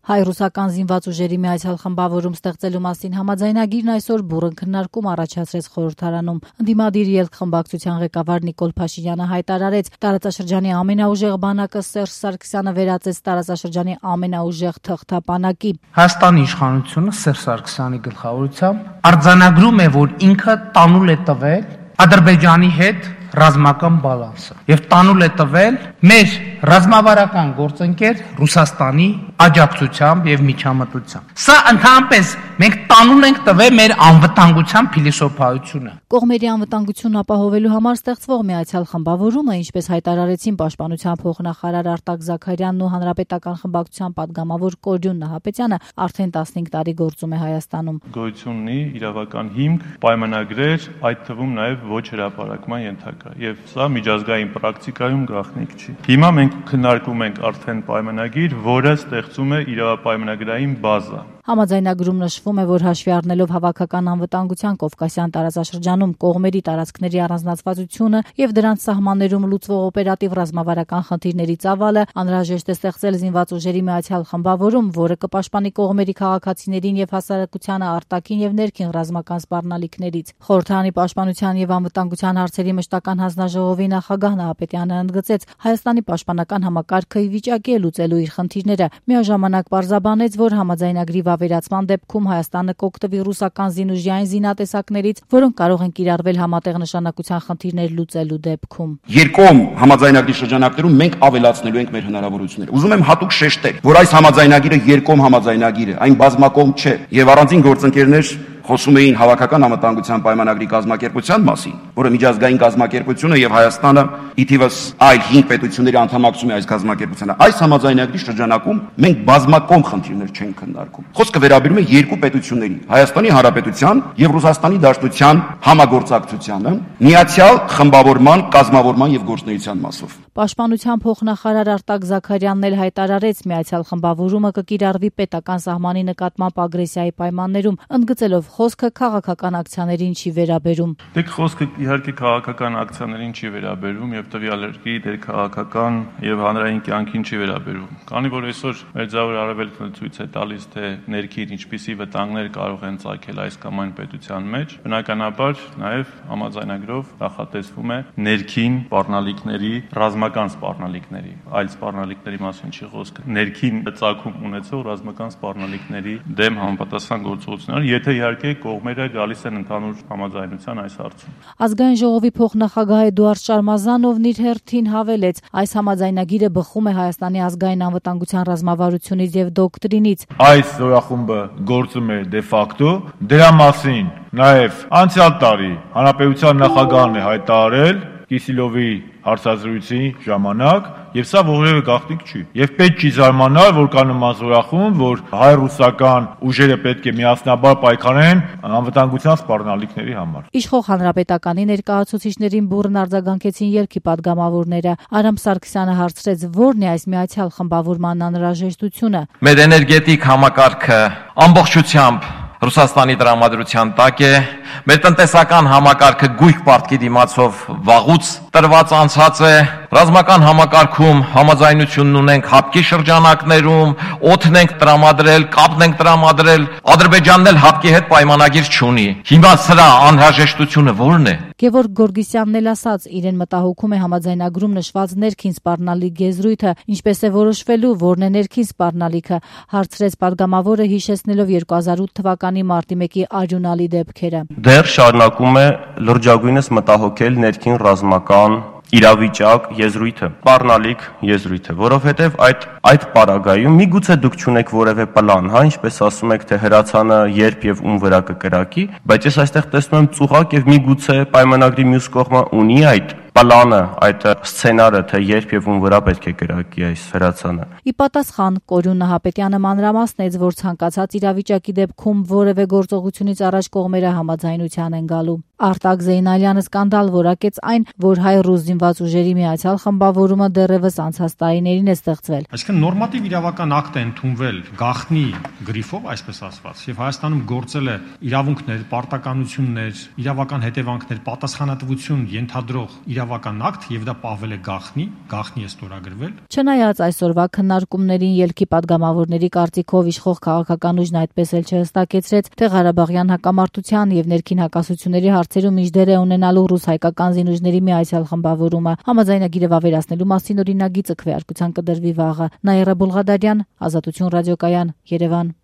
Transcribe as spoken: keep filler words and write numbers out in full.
Հայ-ռուսական զինված ուժերի մի այցել խմբավորում ստեղծելու մասին համաձայնագիրն այսօր բուռն քննարկում առաջացրեց խորհրդարանում։ Ընդդիմադիր ելք խմբակցության ղեկավար Նիկոլ Փաշինյանը հայտարարեց, տարածաշրջանի ամենաուժեղ բանակը Սերժ Սարգսյանը վերածեց տարածաշրջանի ամենաուժեղ թղթապանակի։ Հայաստանի իշխանությունը Սերժ Սարգսյանի գլխավորությամբ արձանագրում է, որ ինքը տանուլ է տվել Ադրբեջանի հետ ռազմական բալանսը եւ տանուլ է տվել մեր ռազմավարական գործընկեր Ռուսաստանի աջակցությամբ եւ միջամտությամբ։ Սա ընդհանրապես մենք տանուլ ենք տվել մեր անվտանգության փիլիսոփայությունը։ Կողմերի անվտանգությունն ապահովելու համար ստեղծվող մի այցել խմբավորումը, ինչպես հայտարարեցին Պաշտպանության փոխնախարար Արտակ Զաքարյանն ու Հանրապետական խմբակցության падգամավոր Կորյուն Նահապետյանը, արդեն տասնհինգ տարի գործում է Հայաստանում։ Գոյություն ունի իրավական հիմք, պայմանագրեր, այդ թվում նաեւ ոչ հրապարակման ենթակա, եւ սա միջազգային պրակտիկայում գաղտնիք չի։ Հիմա մենք քննարկում ենք արդեն պայմանագիր, որը ստեղծում է իրավապայմանագրային բազա։ Համաձայնագրում նշվում է, որ հաշվի առնելով հավաքական անվտանգության Կովկասյան տարածաշրջանում կողմերի տարածքների առանձնացվածությունը եւ դրանց սահմաններում լուծվող օպերատիվ ռազմավարական խնդիրների ծավալը, անհրաժեշտ է ստեղծել զինված ուժերի մի այցել խմբավորում, որը կպաշտպանի կողմերի քաղաքացիներին եւ հասարակությանը արտաքին եւ ներքին ռազմական սպառնալիքներից։ Խորհրդարանի պաշտպանության եւ անվտանգության հարցերի մշտական հանձնաժողովի նախագահ Նահապետյանը ընդգծեց, Հայաստանի պաշտպանական համակարգը ի վիճակի է լուծելու իր խնդիրները։ Միաժամանակ պարզաբանեց, որ համաձայնագրի վերացման դեպքում Հայաստանը կօգտվի ռուսական զինուժի այն զինատեսակներից, որոնք կարող են կիրառվել համատեղ նշանակության խնդիրներ լուծելու դեպքում։ Երկկողմ համաձայնագրի շրջանակներում մենք ավելացնելու ենք մեր հնարավորությունները։ Ուզում եմ հատուկ շեշտել, որ այս համաձայնագիրը երկկողմ համաձայնագիր է, այն բազմակողմ չէ, եւ առանձին գործընկերներ խոսում էին հավաքական անվտանգության պայմանագրի կազմակերպության մասին, որը միջազգային կազմակերպություն է եւ Հայաստանը ի թիվս այլ հինգ պետությունների անդամակցում է այս կազմակերպությանը։ Այս համաձայնագրի շրջանակում մենք բազմակողմ խնդիրներ չենք քննարկում։ Խոսքը վերաբերում է երկու պետությունների՝ Հայաստանի Հանրապետության եւ Ռուսաստանի Դաշնության համագործակցությանը, միացյալ խմբավորման, կազմավորման եւ գործունեության մասով։ Պաշտպանության փոխնախարար Արտակ Զաքարյանն էլ հայտարարեց, մի այցել խմբավորումը կկիրառվի պետական սահմանի նկատմամբ ագրեսիայի պայմաններում, ընդգծելով խոսքը քաղաքական ակցիաներին չի վերաբերում։ Դե խոսքը իհարկե քաղաքական ակցիաներին չի վերաբերում եւ տվյալ երկրի դեր քաղաքական եւ հանրային կյանքին չի վերաբերում։ Քանի որ այսօր Մերձավոր Արևելքը ցույց է տալիս, թե ներքին ինչպիսի վտանգներ կարող են ծագել այս կամ այն պետության մեջ, բնականաբար նաեւ համաձայնագրով նախատեսվում է ներքին սպառնալիքների, ռազմական սպառնալիքների, այլ սպառնալիքների մասին չի խոսքը, ներքին ծագում ունեցող ռազմական սպառնալիքների դեմ համապատասխան գործողություններ, եթե իհարկե կողմերը գալիս են ընդհանուր համաձայնության այս հարցում։ Ազգային ժողովի փոխնախագահ Էդուարդ Շարմազանովն իր հերթին հավելեց, այս համաձայնագիրը բխում է Հայաստանի ազգային անվտանգության ռազմավարությունից եւ դոկտրինից։ Այս զորախումբը գործում է դե ֆակտո, դրա մասին նաեւ անցյալ տարի հանրապետության նախագահն է հայտարարել Կիսիլովի հարցազրույցի ժամանակ, եւ սա որևէ գաղտնիք չի։ Եվ պետք չի զարմանալ, որ կա նման զորախումբ, որ հայ-ռուսական ուժերը պետք է միասնաբար պայքարեն անվտանգության սպառնալիքների համար։ Իշխող հանրապետականի ներկայացուցիչներին բուռն արձագանքեցին ելքի падգամավորները։ Արամ Սարգսյանը հարցրեց, ո՞րն է այս միացյալ խմբավորման անհրաժեշտությունը։ Մեր էներգետիկ համակարգը ամբողջությամբ Ռուսաստանի տրամադրության տակ է, մեր տնտեսական համակարգը գույք պարտքի դիմացով վաղուց տրված անցած է, ռազմական համակարգում համաձայնությունն ունենք հապկի շրջանակներում, օդն ենք տրամադրել, կապն ենք տրամադրել, Ադրբեջանն էլ հապկի հետ պայմանագիր չունի։ Հիմա սրա անհրաժեշտությունը ո՞րն է։ Գևորգ Գորգիսյանն էլ ասաց, իրեն մտահոգում է համաձայնագրում նշված ներքին սպառնալիք գեզրույթը, ինչպես է որոշվելու, որն է ներքին սպառնալիքը, հարցրեց падգամավորը, հիշեցնելով երկու հազար ութ թվականի մարտի մեկի արյունալի դեպքերը։ Դեռ շարունակում է լրջագույնս մտահոգել ներքին ռազմական իրավիճակ եզրույթը, սպառնալիք եզրույթը, որովհետև այդ այդ պարագայում միգուցե դուք չունեք որևէ պլան, հա, ինչպես ասում եք, թե հրացանը երբ եւ ում վրա կկրակի, բայց ես այստեղ տեսնում եմ ծուղակ եւ միգուցե պայմանագրի մյուս կողմը ունի այդ պլանը, այդ սցենարը, թե երբ եւ ում վրա պետք է կրակի այս հրացանը։ Ի պատասխան Կորյուն Նահապետյանը մանրամասնեց, որ ցանկացած իրավիճակի դեպքում որևէ գործողությունից առաջ կողմերը համաձայնության են գալու։ Արտակ Զեյնալյանը սկանդալ որակեց այն, որ հայ-ռուս զինված ուժերի միացյալ խմբավորումը դեռևս անցած տարիներին է ստեղծվել։ Այսինքն նորմատիվ իրավական ակտ է ընդունվել գաղտնի գրիֆով, այսպես ասված, եւ Հայաստանում գործել է իրավունքներ, պարտականություններ, իրավական հետևանքներ, պատասխանատվություն ենթադրող իրավական ակտ եւ դա պավել է գաղտնի, գաղտնի է ստորագրվել։ Չնայած այսօրվա քննարկումներին ելքի падգամավորների կարծիքով իշխող քաղաքական ուժն այդպես էլ չհստակեցրեց, թե Ղարաբաղյան հակամարտության եւ ներքին հակասությունների հարցերում ինչ դեր է ունենալու ռուս-հայկական զինուժների միացյալ խմբավորումը։ Համաձայնագիրը վավերացնելու մասին օրինագիծը քվեարկության կդրվի վաղը։ Նաիրա Բուլղադարյան, Ազատություն ռադիոկայան, Երևան։